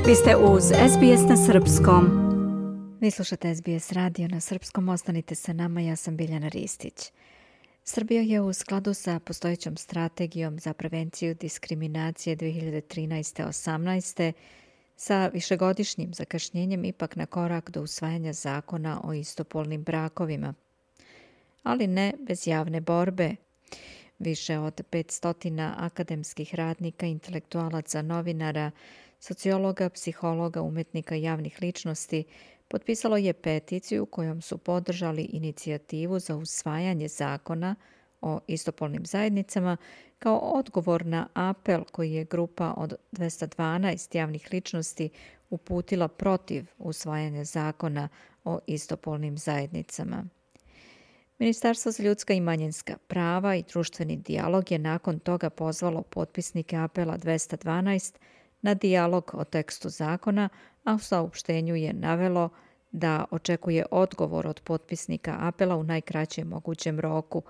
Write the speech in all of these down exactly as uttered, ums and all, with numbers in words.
Vi ste uz es be es na srpskom. Vi slušate es be es radio na srpskom, ostanite sa nama, ja sam Biljana Ristić. Srbija je u skladu sa postojećom strategijom za prevenciju diskriminacije dve hiljade trinaeste osamnaeste sa višegodišnjim zakašnjenjem ipak na korak do usvajanja zakona o istopolnim brakovima. Ali ne bez javne borbe. Više od petsto akademskih radnika, intelektualaca, novinara, sociologa, psihologa, umetnika i javnih ličnosti potpisalo je peticiju kojom su podržali inicijativu za usvajanje zakona o istopolnim zajednicama kao odgovor na apel koji je grupa od dvesta dvanaest javnih ličnosti uputila protiv usvajanja zakona o istopolnim zajednicama. Ministarstvo za ljudska i manjinska prava i društveni dijalog je nakon toga pozvalo potpisnike apela dvesta dvanaest na dijalog o tekstu zakona, a u saopštenju je navelo da očekuje odgovor od potpisnika apela u najkraćem mogućem roku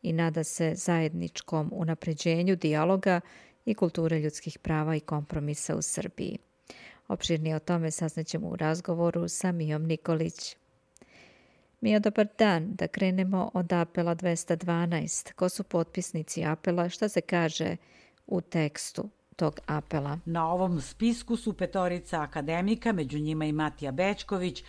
i nada se zajedničkom unapređenju dijaloga i kulture ljudskih prava i kompromisa u Srbiji. Opširnije o tome saznaćemo u razgovoru sa Mijom Nikolić. Mijo, dobar dan. Da krenemo od apela dvesta dvanaest. Ko su potpisnici apela? Šta se kaže u tekstu tog apela? Na ovom spisku su petorica akademika, među njima i Matija Bećković,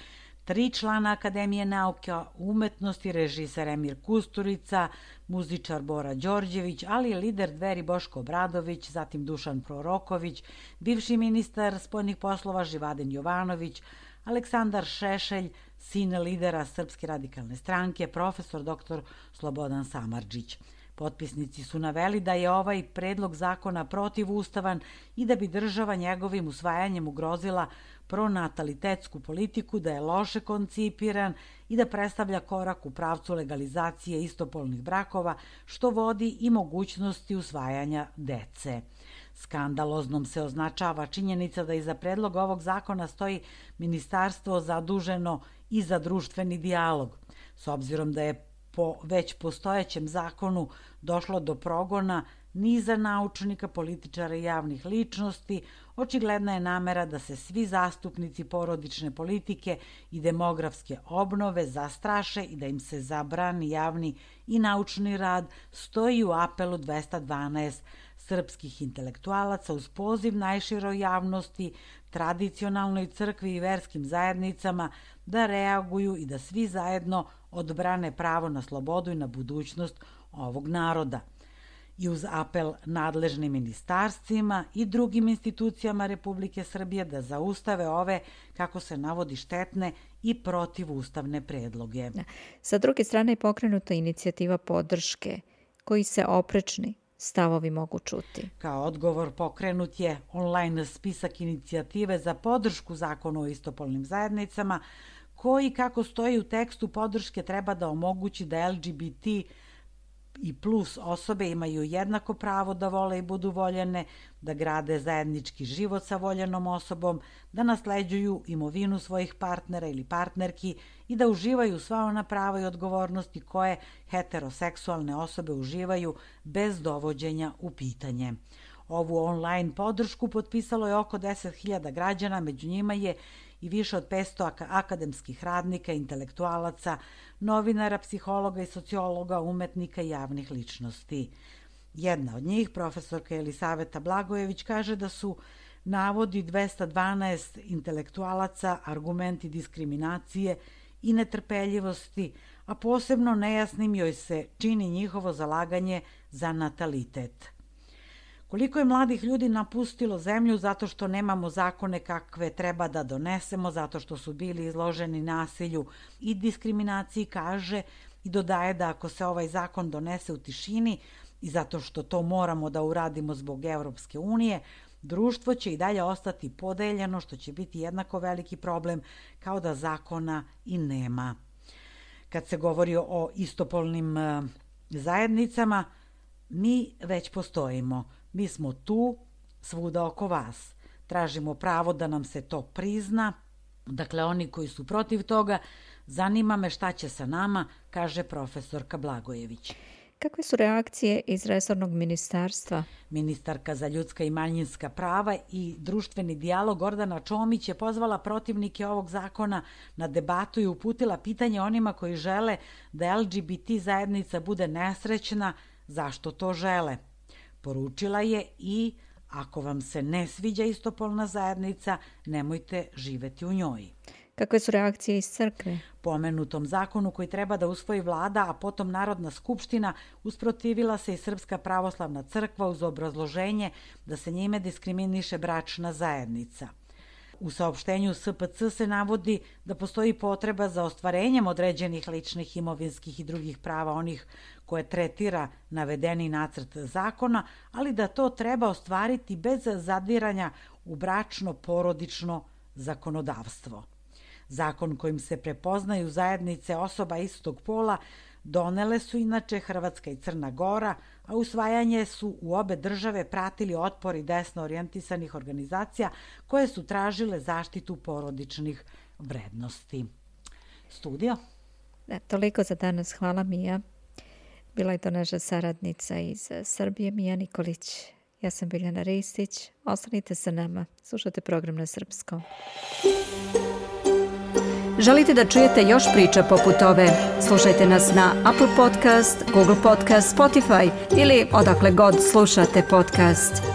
tri člana Akademije nauka, umetnosti, režiser Emir Kusturica, muzičar Bora Đorđević, ali i lider Dveri Boško Obradović, zatim Dušan Proroković, bivši ministar spoljnih poslova Živaden Jovanović, Aleksandar Šešelj, sin lidera Srpske radikalne stranke, profesor doktor Slobodan Samardžić. Potpisnici su naveli da je ovaj predlog zakona protivustavan i da bi država njegovim usvajanjem ugrozila pronatalitetsku politiku, da je loše koncipiran i da predstavlja korak u pravcu legalizacije istopolnih brakova, što vodi i mogućnosti usvajanja dece. Skandaloznom se označava činjenica da iza predloga ovog zakona stoji ministarstvo zaduženo i za društveni dijalog. S obzirom da je po već postojećem zakonu došlo do progona niza naučnika, političara i javnih ličnosti, očigledna je namera da se svi zastupnici porodične politike i demografske obnove zastraše i da im se zabrani javni i naučni rad, stoji u apelu dvesta dvanaest srpskih intelektualaca uz poziv najširoj javnosti, tradicionalnoj crkvi i verskim zajednicama da reaguju i da svi zajedno odbrane pravo na slobodu i na budućnost ovog naroda. I uz apel nadležnim ministarstvima i drugim institucijama Republike Srbije da zaustave ove, kako se navodi, štetne i protivustavne predloge. Sa druge strane je pokrenuta inicijativa podrške, koji se oprečni stavovi mogu čuti. Kao odgovor pokrenut je online spisak inicijative za podršku zakonu o istopolnim zajednicama, koji, kako stoji u tekstu podrške, treba da omogući da el ge be te i plus osobe imaju jednako pravo da vole i budu voljene, da grade zajednički život sa voljenom osobom, da nasleđuju imovinu svojih partnera ili partnerki i da uživaju sva ona prava i odgovornosti koje heteroseksualne osobe uživaju bez dovođenja u pitanje. Ovu online podršku potpisalo je oko deset hiljada građana, među njima je i više od petsto akademskih radnika, intelektualaca, novinara, psihologa i sociologa, umetnika i javnih ličnosti. Jedna od njih, profesorka Elisaveta Blagojević, kaže da su navodi dvesta dvanaest intelektualaca argumenti diskriminacije i netrpeljivosti, a posebno nejasnim joj se čini njihovo zalaganje za natalitet. Koliko je mladih ljudi napustilo zemlju zato što nemamo zakone kakve treba da donesemo, zato što su bili izloženi nasilju i diskriminaciji, kaže i dodaje da ako se ovaj zakon donese u tišini i zato što to moramo da uradimo zbog Evropske unije, društvo će i dalje ostati podeljeno, što će biti jednako veliki problem kao da zakona i nema. Kad se govori o istopolnim zajednicama, mi već postojimo. Mi smo tu, svuda oko vas. Tražimo pravo da nam se to prizna. Dakle, oni koji su protiv toga, zanima me šta će sa nama, kaže profesorka Blagojević. Kakve su reakcije iz resornog ministarstva? Ministarka za ljudska i manjinska prava i društveni dijalog Gordana Čomić je pozvala protivnike ovog zakona na debatu i uputila pitanje onima koji žele da L G B T zajednica bude nesrećna, zašto to žele. Poručila je i ako vam se ne sviđa istopolna zajednica, nemojte živeti u njoj. Kakve su reakcije iz crkve? Pomenutom zakonu koji treba da usvoji vlada, a potom Narodna skupština, usprotivila se i Srpska pravoslavna crkva uz obrazloženje da se njime diskriminiše bračna zajednica. U saopštenju S P C se navodi da postoji potreba za ostvarenjem određenih ličnih, imovinskih i drugih prava onih koje tretira navedeni nacrt zakona, ali da to treba ostvariti bez zadiranja u bračno-porodično zakonodavstvo. Zakon kojim se prepoznaju zajednice osoba istog pola donele su inače Hrvatska i Crna Gora, a usvajanje su u obe države pratili otpori desno orijentisanih organizacija koje su tražile zaštitu porodičnih vrednosti. Studio? Da, toliko za danas. Hvala, Mija. Bila je to naša saradnica iz Srbije, Mija Nikolić. Ja sam Biljana Ristić. Ostanite sa nama. Slušate program na srpskom. Želite da čujete još priča poput ove? Slušajte nas na Apple Podcast, Google Podcast, Spotify ili odakle god slušate podcast.